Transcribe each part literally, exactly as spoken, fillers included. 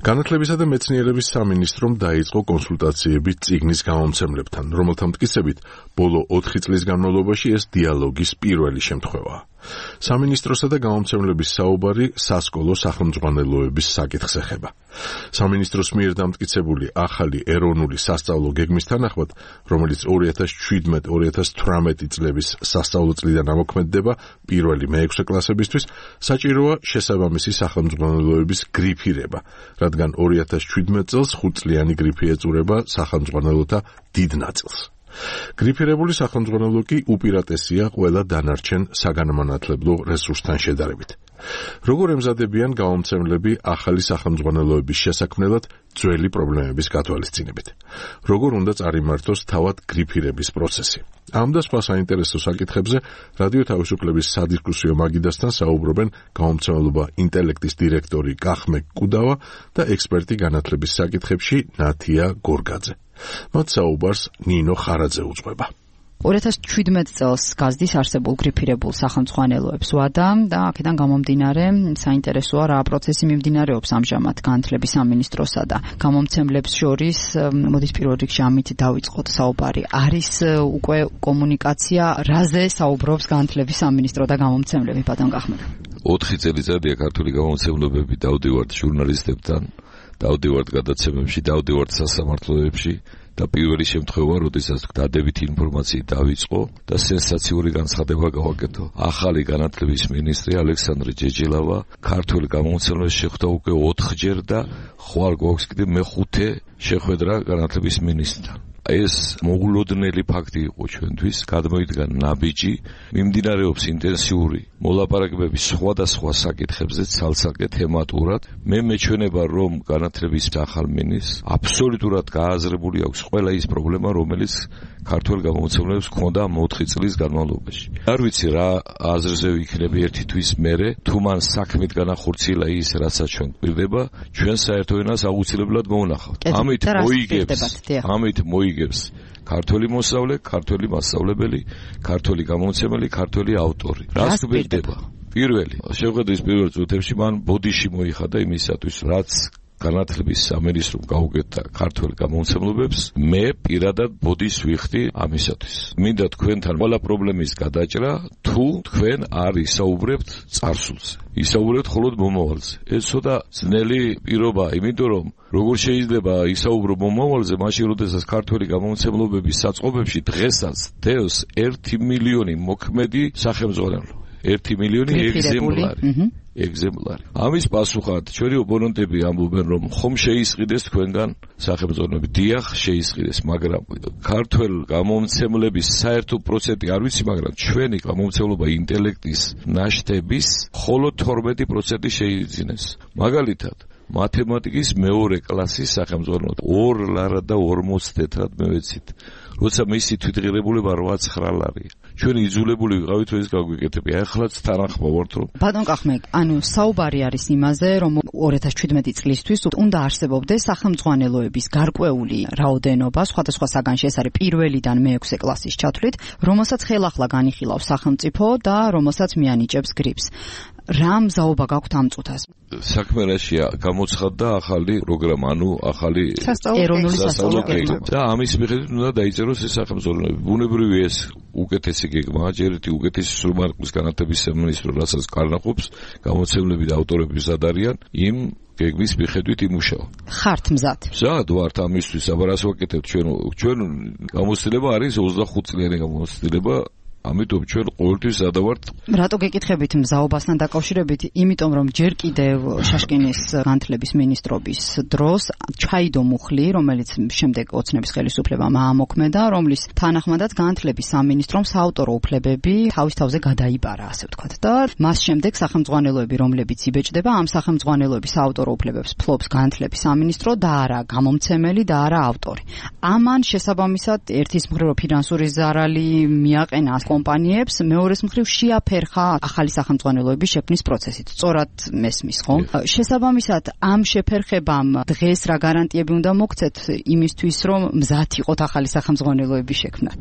განათლებისა და მეცნიერების სამინისტრომ დაიწყო კონსულტაციები წიგნის გამომცემლებთან, რომელთა მტკიცებით ბოლო ოთხი წლის განმავლობაში ეს დიალოგის პირველი შემთხვევაა. სამინისტროსა და გამომცემლების საუბარი სასკოლო სახელმძღვანელოების საკითხს ეხება. სამინისტროს მიერ დამტკიცებული ახალი ეროვნული სასწავლო გეგმის თანახმად, რომელიც ორი ათას შვიდმეტ ორი ათას თვრამეტი წლების სასწავლო წლიდან ამოქმედდება პირველი მეექვსე კლასებისთვის, საჭიროა შესაბამისი სახელმძღვანელოების გრიფირება, რადგან ორი ათას შვიდმეტ წელს ხუთწლიანი გრიფი ეწურება სახელმძღვანელოთა დიდ ნაწილს. გრიფირებული სახელმძღვანელო კი უპირატესია ყველა დანარჩენ საგანმანათლებლო რესურსთან შედარებით. როგორ ემზადებიან გამომცემლები ახალი სახელმძღვანელოების შესაქმნელად ძველი პრობლემების გათვალისწინებით? როგორ უნდა წარიმართოს თავად გრიფირების პროცესი? ამ და სხვა საინტერესო საკითხებზე რადიო თავისუფლების სადისკუსიო მაგიდასთან საუბრობენ გამომცემლობა ინტელექტის დირექტორი კახმე კუდავა და ექსპერტი განათლების საკითხებში ნათია გორგაძე. მათ საუბარს ნინო ხარაძე უძღვება. ორი ათას შვიდმეტ წელს გაზდის არსებულ გრიფირებულ სახელმძღვანელოებს ვადა და აქედან გამომდინარე საინტერესოა რა პროცესი მიმდინარეობს ამჟამად განათლების სამინისტროსა და გამომცემლებს შორის. მოდის პირველ რიგში ამით დავიწყოთ საუბარი. არის უკვე კომუნიკაცია, რაზე საუბრობს განათლების სამინისტრო და გამომცემლები, ბატონ კახმედა? ოთხი წელიწადია ქართული გამომცემლობები დავდივართ ჟურნალისტებთან, დავდივართ გადაცემებში, დავდივართ სასამართლოებში და პირველი შემთხვევა, როდესაც დადებითი ინფორმაციით დავიწყო და სენსაციური განცხადება გავაკეთო. ახალი განათლების მინისტრი ალექსანდრე ჯეჯელავა ქართული გამომცემლებს შეხვდა უკვე ოთხჯერ და ხვალ გვაქვს კიდე მეხუთე შეხვედრა განათლების მინისტრთან. ეს მოულოდნელი ფაქტი იყო ჩვენთვის, გადმოიდგა ნაბიჯი, მიმდინარეობს ინტენსიური მოლაპარაკებები სხვადასხვა საკითხებზე ცალ-ცალკე თემატურად. მე მეჩვენება, რომ განათლების ახალ მინისტრს აბსოლუტურად გააზრებული აქვს ყველა ის პრობლემა, რომელიც ქართულ გამომცემლებს ჰქონდა ამ ოთხი წლის განმავლობაში. არ ვიცი რა აზრზე ვიქნები ერთი თვის მერე, თუ მან საქმით განახორციელა ის, რასაც ჩვენ გვირდება, ჩვენ საერთო ენას აუცილებლად მოვნახავთ. ამით მოიგებს, ამით მოიგებს ქართველი მოსწავლე, ქართველი მასწავლებელი, ქართველი გამომცემელი, ქართველი ავტორი. რას გვირდება? პირველი, შეხვედრის პირველ წუთებში მან ბოდიში მოიხადა იმისათვის, რაც განათლების სამინისტრომ გაუკეთა ქართულ გამომცემლობებს, მე პირადად ბოდიშს ვიხდი ამისათვის. მინდა თქვენთან ყველა პრობლემის გადაჭრა, თუ თქვენ არ ისაუბრებთ წარსულზე. ისაუბრებთ მხოლოდ მომავალზე. ეს ცოტა ძნელი პირობა, იმიტომ რომ როგორ შეიძლება ისაუბრო მომავალზე, მაშინ როდესაც ქართული გამომცემლობების საწყობებში დღესაც დევს ერთი მილიონი მოქმედი სახელმძღვანელო. ერთი მილიონი ეგზემპლარი. ეგზემპლარი. ამის პასუხად ჩვენი ოპონენტები ამბობენ, რომ ხომ შეისყიდეს თქვენგან სახელმძღვანელოები. დიახ, შეისყიდეს, მაგრამ ქართველ გამომცემლების საერთო პროცენტი არ ვიცი, მაგრამ ჩვენი გამომცემლობა ინტელექტის ნაშთების მხოლოდ თორმეტი პროცენტი შეიძინეს. მაგალითად, მათემატიკის მეორე კლასის სახელმძღვანელო ორ ლარად და ორმოც თეთრად მევეცით. როცა მისი თვითღირებულება რვა-ცხრა ლარია. ჩვენ იძულებული ვიყავით ეს გაგვიკეთებია. ახლაც თანახმა ვართ, რომ ბატონ კახმე, ანუ საუბარი არის იმაზე, რომ ორი ათას შვიდმეტი წლისთვის უნდა არსებობდეს სახელმძღვანელოების გარკვეული რაოდენობა, სხვადასხვა საგანში ეს არის პირველიდან მეექვსე კლასის ჩათვლით, რომელსაც ხელახლა განიხილავს სახელმწიფო და რომელსაც მიანიჭებს გრიფს. რა მზაობა გაქვთ ამ წუთას? საქმე რაშია, გამოცხადდა ახალი პროგრამა, ანუ ახალი ეროვნული სასწავლო გეგმა. და ამის მიხედვით უნდა დაიწეროს ეს სახელმძღვანელოები. ბუნებრივი ეს უკეთესი გეგმაა, ჯერ ერთი უკეთესი სრულმარკის განათლების სამინისტრო, რასაც კარნახობს, გამოცემლები და ავტორები მზად არიან იმ გეგმის მიხედვით იმუშავა. ხართ მზად? მზად ვართ ამისთვის, აბა რას ვაკეთებთ ჩვენ? ჩვენ გამოცდილება არის ოცდახუთ წლიანი გამოცდილება. ამიტომ ჩვენ ყოველთვის სადავართ. რატო გეკითხებით მზაობასთან დაკავშირებით? იმიტომ რომ ჯერ კიდევ შაშკინის განათლების მინისტრობის დროს ჩაიდო მუხლი, რომელიც შემდეგ ოცნების ხელისუფლებამ აამოქმედა, რომლის თანახმადაც განათლების სამინისტრომ საავტორო უფლებები თავის თავზე გადაიბარა, ასე ვთქვათ. და მას შემდეგ სახელმძღვანელოები, რომლებიც იბეჭდება, ამ სახელმძღვანელოების საავტორო უფლებებს ფლობს განათლების სამინისტრო და არა გამომცემელი და არა ავტორი. ამან შესაბამისად ერთის მხრივ ფინანსური ზარალი მიაყენა კომპანიებს, მეორეს მხრივ შეაფერხა ახალი სახელმძღვანელოების შექმნის პროცესით. სწორად მესმის, ხო? შესაბამისად, ამ შეფერხებამ დღეს რა გარანტიები უნდა მოგცეთ იმისთვის, რომ მზად იყოთ ახალი სახელმძღვანელოების შექმნად?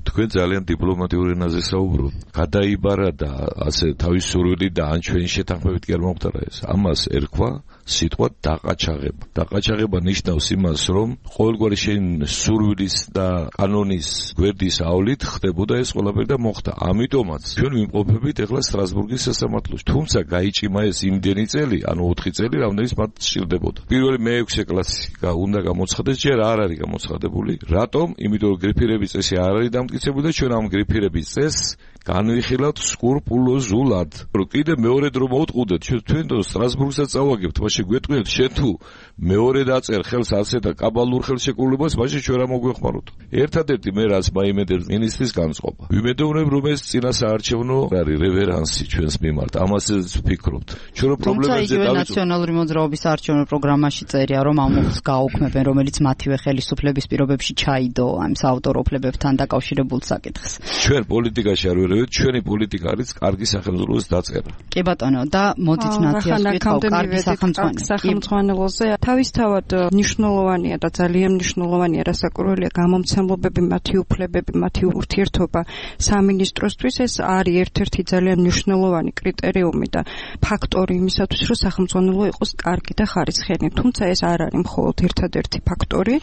თქვენ ძალიან დიპლომატიურ ენაზე საუბრობთ. გადაიბარა და ასე თავისუფლად და ან ჩვენი შეთანხმებით კი არ მომხდარა ეს. ამას ერქვა სიტყვა დაყაჩაღება. დაყაჩაღება ნიშნავს იმას, რომ ყოველგვარი შენ სურვილის და კანონის გვერდის ავლით ხდებოდა ეს ყველაფერი და მოხდა. ამიტომაც ჩვენ ვიმყოფებით ეხლა სტრასბურგის სასამართლოში. თუმცა გაიჭიმა ეს იმდენი წელი, ანუ ოთხი წელი, რამდენიც მათ სჭირდებოდა. პირველი მეექვსე კლასი უნდა გამოცხადდეს, ჯერ არ არის გამოცხადებული. რატომ? იმიტომ რომ გრიფირების წესი არ არის დამტკიცებული და ჩვენ ამ გრიფირების წესს განვიხილავთ სკრუპულოზულად. რომ კიდე მეორე დრო მოვტყუდეთ, ჩვენ თვითონ სტრასბურგსაც წავაგებთ, მაშინ გვეტყვით, შენ თუ მეორე დაწერ ხელს ასე და კაბალურ ხელშეკრულებას, მაშინ ჩვენ რა მოგვეხმაროთ. ერთადერთი მე რაც მაიმედებს მინისტრის განწყობა. ვიმედოვნებ, რომ ეს წინასაარჩევნო არის რევერანსი ჩვენს მიმართ. ამასაც ვფიქრობთ. ჩვენ რომ პრობლემებზე დავიწყოთ. ნაციონალური მოძრაობის საარჩევნო პროგრამაში წერია, რომ ამ მოხს გააუქმებენ, რომელიც მათივე ხელისუფლების პირობებში ჩაიდო ამ საავტორო უფლებებთან დაკავშირებულ საკითხს. ჩვენ პოლიტიკაში არ ვერევით, ჩვენი პოლიტიკა არის კარგი სახელმწიფოს დაწერა. კი ბატონო, და მოდით ნათიას ვიტყავ კარგი სახელმწიფოზე. თავისთავად მნიშვნელოვანია და ძალიან მნიშვნელოვანია რასაკვირველია გამომცემლობები, მათი უფლებები, მათი ურთიერთობა სამინისტროსთვის. ეს არის ერთ-ერთი ძალიან მნიშვნელოვანი კრიტერიუმი და ფაქტორი იმისათვის, რომ სახელმწიფო იყოს კარგი და ხარისხიანი. თუმცა ეს არ არის მხოლოდ ერთადერთი ფაქტორი.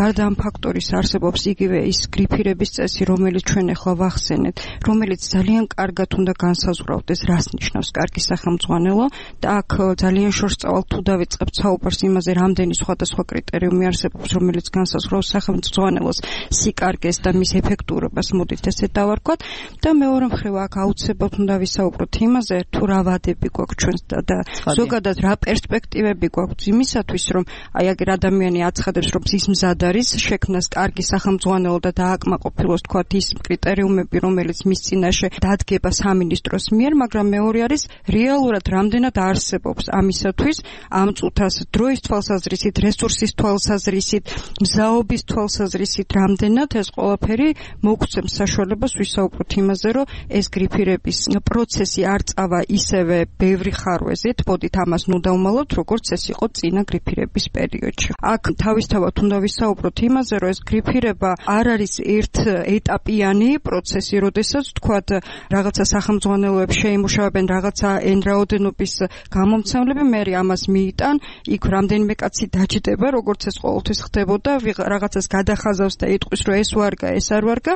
გარდა ამ ფაქტორის არსებობს იგივე ის გრიფირების წესი, რომელიც ჩვენ ახლა ვახსენეთ, რომელიც ძალიან კარგად უნდა განსაზღვრავდეს, რას ნიშნავს კარგი სახელმწიფო და აქ ძალიან შორსწავალ თუ დავიწყებთ საუბარს იმაზე, რამდენი სხვადასხვა კრიტერიუმი არსებობს, რომელიც განსაზღვრავს სახელმწიფოს სიკარგეს და მის ეფექტურობას, მოდით ესე დავარქვათ. და მეორე მხრივ აქ აუცილებლად უნდა ვისაუბროთ იმაზე, თუ რა ვადები გვაქვს ჩვენს და ზოგადად რა პერსპექტივები გვაქვს იმისათვის, რომ აი აგერ ადამიანი აცხადებს, რომ ის მზად არის შექმნას კარგი სახელმწიფო და დააკმაყოფილოს თქვათ ის კრიტერიუმები, რომელიც მის წინაშე დადგება სამინისტროს მიერ, მაგრამ მეორე არის რეალურად რამდენად არსებობს ამისათვის ამ წუთას დროის თვალსაზრისით, რესურსის თვალსაზრისით, მზაობის თვალსაზრისით რამდენად ეს ყველაფერი მოგცემს საშუალებას ვისაუბროთ იმაზე, რომ ეს გრიფირების პროცესი არ წავა ისევე ბევრი ხარვეზით, მოდით ამას ნუ დავმალოთ, როგორც ეს იყო წინა გრიფირების პერიოდში. აქ თავისთავად უნდა ვისაუბროთ იმაზე, რომ ეს გრიფირება არ არის ერთ ეტაპიანი პროცესი, როდესაც თქვათ რაღაცა სახელმწიფოებს შეიმუშავებენ რაღაცა εν რაოდენობის გამომცემლები, მე ამას მიიტან, იქ რამდენიმე კაცი დაჯდება, როგორც ეს ყოველთვის ხდებოდა, რაღაცას გადახაზავს და იტყვის, რომ ეს ვარგა, ეს არ ვარგა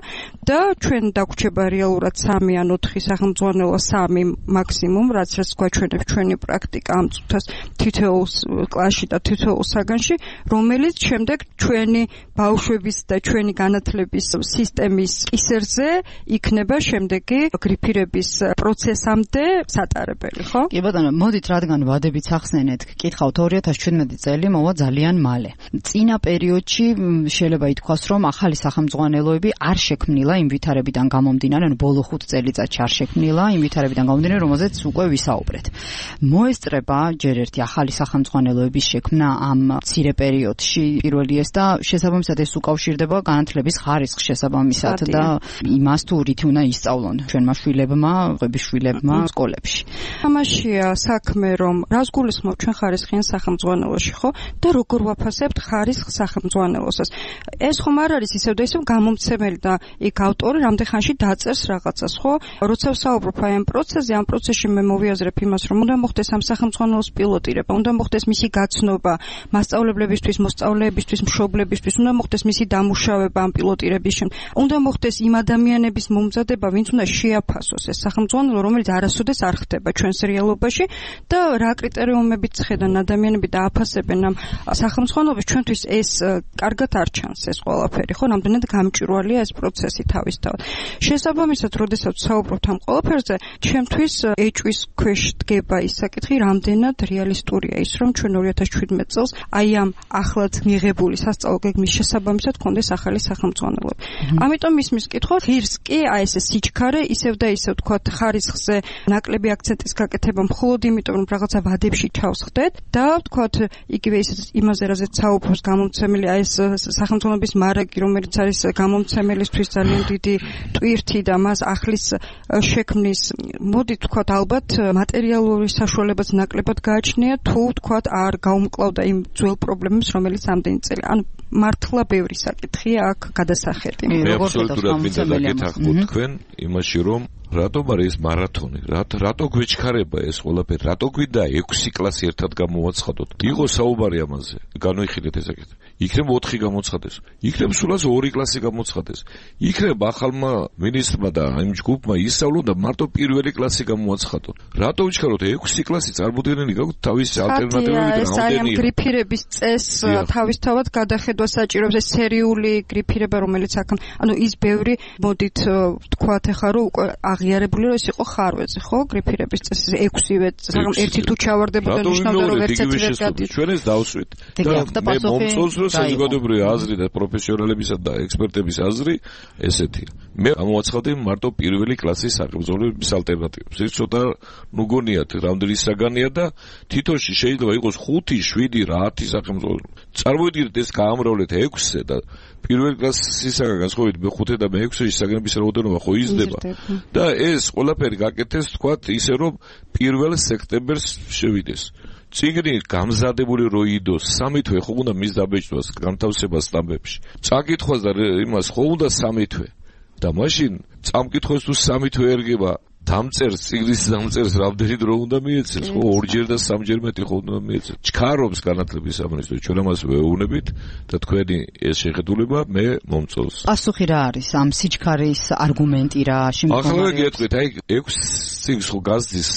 და ჩვენ დაგვრჩება რეალურად სამი ან ოთხი სახელმწიფო, სამი მაქსიმუმ, რაც რაც გვაჩვენებს ჩვენი პრაქტიკა ამ წუთას თითოეულ კლასში და თითოეულ საგანში, რომელიც შემდეგ ჩვენი ბავშვების და ჩვენი განათლების სისტემის კისერზე იქნება შემდეგი გრიფირების პროცესამდე სატარებელი, ხო? კი ბატონო, მოდით რადგან ვადებიც ახსენეთ, გკითხავთ ორი ათას ჩვენმეტი წელი მოვა ძალიან მალე. წინა პერიოდში შეიძლება ითქვას, რომ ახალი სახელმწიფოები არ შექმნილა იმ ვითარებიდან გამომდინარე, ანუ ბოლო ხუთ წელიწადში არ შექმნილა იმ ვითარებიდან გამომდინარე, რომელზეც უკვე ვისაუბრეთ. მოესწრება ჯერ ერთი ახალი სახელმწიფოების შექმნა ამ მცირე პერიოდში პირველი ეს და შესაბამისად ეს უკავშირდება განათლების ხარისხს შესაბამისად და იმას თუ რითი უნდა ისწავლონ ჩვენმა შვილებმა, ყვების შვილებმა სკოლებში. ამაშია საქმე, რომ რას გულისხმობ ჩვენ ხარისხიან სახელმწიფოში, ხო? და როგორ ვაფასებთ ხარისხ სახელმწიფოსაც. ეს ხომ არ არის ისევ და ისევ გამომცემელი და იქ ავტორი რამდენ ხანში დაწერს რაღაცას, ხო? როცა ვსაუბრობ აი ამ პროცესზე, ამ პროცესში მე მოვიაზრებ იმას, რომ უნდა მოხდეს ამ სახელმწიფოს პილოტირება, უნდა მოხდეს მისი გაცნობა მასწავლებლებისთვის, მოსწავლეებისთვის, მშობლებისთვის, უნდა მოხდეს მისი დამუშავება ამ პილოტირების შემდეგ. უნდა მოხდეს იმ ადამიანების მომზადება, ვინც უნდა შეაფასოს ეს სახელმწიფო, რომელიც არასოდეს არ ხდება ჩვენს რეალობაში და რა კრიტერიუმებით ხედან ადამიანები და აფასებენ ამ სახელმწიფოებს, ჩვენთვის ეს კარგად არ ჩანს ეს ყველაფერი, ხო? რამდენად გამჭვირვალეა ეს პროცესი თავისთავად. შესაბამისად, როდესაც საუბრობთ ამ ყველაფერზე, ჩემთვის ეჭვის ქვეშ დგება ის საკითხი, რამდენად რეალისტურია ის, რომ ჩვენ ორი ათას ჩვიდმეტ წელს აი ამ ახლად მიღებული სასწავლო გეგმის შესაბამისად გქონდეს ახალი სახელმწიფოები. ამიტომ ისმის კითხვა, ღირს კი აი ეს სიჩქარე ისევ და ისევ თქვათ ხარისხზე ნაკლები აქცენტის გაკეთება მხოლოდ იმიტომ, რომ რაღაცა ვადებში ჩავსხდეთ და თქვათ იგივე ის იმაზე, რაზეც საუბრობს გამომცემელი აი ეს სახელმწიფოების მარაგი, რომელიც არის გამომცემელისთვის ძალიან დიდი ტვირთი და მას ახლის შექმნის, მოდი თქვათ ალბათ მატერიალური საშუალებაც ნაკლებად გააჩნია, თუ თქვათ არ გაუმკლავდა იმ ძველ პრობლემებს, რომელიც ამდენი წელი. ანუ მართლა ბევრი საკითხია აქ გადასახედი. მე აბსოლუტურად მინდა დაგეთანხმოთ თქვენ იმაში, რომ რატომ არის ეს მარათონი? რატო გვეჩქარება ეს ყველაფერი? რატო გვინდა ექვსი კლასი ერთად გამოვაცხადოთ? იყო საუბარი ამაზე. განვიხილეთ ეს საკითხი. იქნებ ოთხი გამოცხადეს. იქნებ სულაც ორი კლასი გამოცხადეს. იქნებ ახალმა მინისტრმა და იმ ჯგუფმა ისწავლონ და მარტო პირველი კლასი გამოაცხადონ. რატო ვიჩქაროთ ექვსი კლასი? წარმოუდგენელი გაქვთ თავისი ალტერნატივები და რამდენი გრიფირების წესს თავისთავად გადახედვა საჭიროებს ეს სერიული გრიფირება რომელიც აქ ანუ ის ბევრი მოდით თქვათ ახლა რომ უკვე აღიარებული რომ ეს იყო ხარვეზე ხო გრიფირების წესი ექვსივე საგამ ერთი თუ ჩავარდებოდა ნიშნავდა რომ ერთ ერთი ვერ გადის ჩვენ ეს დავსვით და მე მომწონს რომ საზოგადოებრივი აზრი და პროფესიონალებისა და ექსპერტების აზრი ესეთი მე ამოვაცხადე მარტო პირველი კლასის სახელმწიფოების ალტერნატივებს ეს ცოტა ნუ გონიათ რამდენი საგანია და თითოში შეიძლება იყოს ხუთი შვიდი ათი სახელმწიფო წარმოიდგინეთ ეს გაამრავლეთ ექვსზე და პირველ კლასისაგან განსხვავებით მეხუთე და მეექვსეში საგნების რაოდენობა ხო იზრდება და ეს ყველაფერი გაკეთეს თქვათ ისე რომ პირველ სექტემბერს შევიდეს წიგნი გამზადებული რო იდოს სამი თვე ხო უნდა მის დაბეჭდვას განთავსებას სტამბებში წაკითხვას და იმას ხო უნდა სამი თვე და მაშინ წამკითხოს თუ სამი თვე ერგება დამწერს წიგნის დამწერს რამდენი დრო უნდა მიეცეს ხო ორჯერ და სამჯერ მეტი ხო უნდა მიეცეს ჩქარობს განათლების სამინისტრო ჩვენ ამას ვეუბნებით და თქვენი ეს შეხედულება მე მომწონს პასუხი რა არის ამ სიჩქარის არგუმენტი რა შემდგომი ახლა გეტყვით აი ექვს წიგნს ხო გაზდის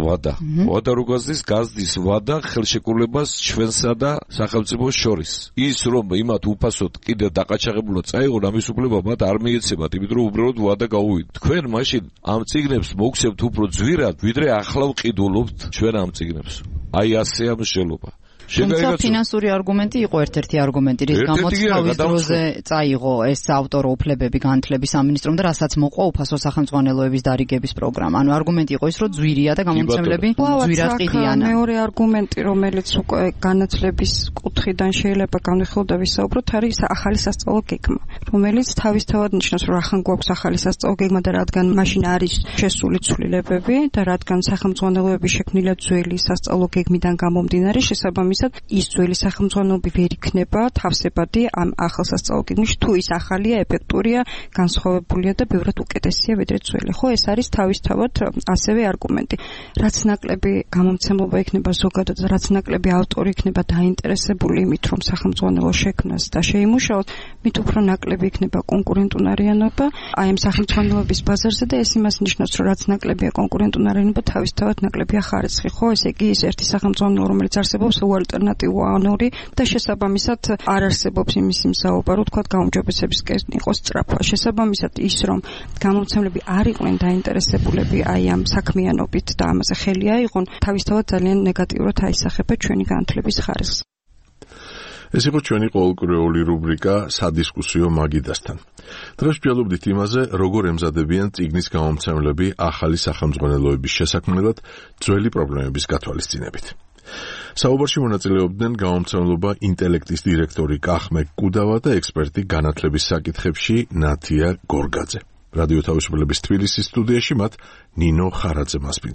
ვადა ვადა რო გაზდის გაზდის ვადა ხელშეკრულებას ჩვენსა და სახელმწიფოს შორის ის რომ იმათ უფასოდ კიდე დაყაჩაღებულად წაიღონ ამის უფლება მათ არ მიეცემათ იმიტომ რომ უბრალოდ ვადა გაუვიდეთ თქვენ მაშინ ამ წიგნებს მოგცემთ უფრო ძვირად, ვიდრე ახლა ვყიდულობთ ჩვენ ამ წიგნებს. აი ასეა მსჯელობა. თუმცა ფინანსური არგუმენტი იყო ერთ-ერთი არგუმენტი, რის გამოც თავის დროზე წაიღო ეს ავტორო უფლებები განათლების სამინისტრომ და რასაც მოყვა უფასო სახელმძღვანელოების დარიგების პროგრამა. ანუ არგუმენტი იყო ის, რომ ძვირია და გამომცემლები ძვირად ყიდიან. მეორე არგუმენტი, რომელიც უკვე განათლების კუთხიდან შეიძლება განვიხილოთ და ვისაუბროთ, არის ახალი სასწავლო გეგმა, რომელიც თავისთავად ნიშნავს, რომ ახან გვაქვს ახალი სასწავლო გეგმა და რადგან მაშინ არის შესული ცვლილებები და რადგან სახელმძღვანელოები შექმნილია ძველი სასწავლო გეგმიდან გამომდინარე, შესაბამისად ის ძველი სახელმძღვანელოები ვერ იქნება თავსებადი ამ ახალ სასწავლო გეგმაში თუ ის ახალია, ეფექტურია, განსხვავებულია და ბევრად უკეთესია ვიდრე ძველი. ხო, ეს არის თავისთავად ასევე არგუმენტი. რაც ნაკლები გამომცემლობა იქნება ზოგადად, რაც ნაკლები ავტორი იქნება დაინტერესებული იმით, რომ სახელმძღვანელო შექმნას და შეიმუშაოს, მით უფრო ნაკლები იქნება კონკურენტუნარიანობა აი ამ სახელმძღვანელოების ბაზარზე და ეს იმას ნიშნავს, რომ რაც ნაკლებია კონკურენტუნარიანობა, თავისთავად ნაკლებია ხარისხი. ხო, ესე იგი ის ერთი სახელმძღვანელო, რომელიც არსებობს ალტერნატივა ანორი და შესაბამისად არ არსებობს იმის იმსაუბრა, რომ თქვა გაუმჯობესებისკენ იყოს სწრაფვა. შესაბამისად ის რომ გამომცემლები არ იყვნენ დაინტერესებულები აი ამ საქმიანობით და ამაზე ხელი აიღონ, თავისთავად ძალიან ნეგატიურად აისახება ჩვენი განათლების ხარისხს. ეს იყო ჩვენი ყოველკვირეული რუბრიკა სადისკუსიო მაგიდასთან. დღეს ვჯალობდით იმაზე, როგორ ემზადებიან წიგნის გამომცემლები ახალი სახელმძღვანელოების შესაქმნელად ძველი პრობლემების გათვალისწინებით. საუბარში მონაწილეობდნენ გამომცემლობა ინტელექტის დირექტორი კახმე კუდავა და ექსპერტი განათლების საკითხებში ნათია გორგაძე. რადიო თავისუფლების თბილისის სტუდიაში მათ ნინო ხარაძე მასპინძლა.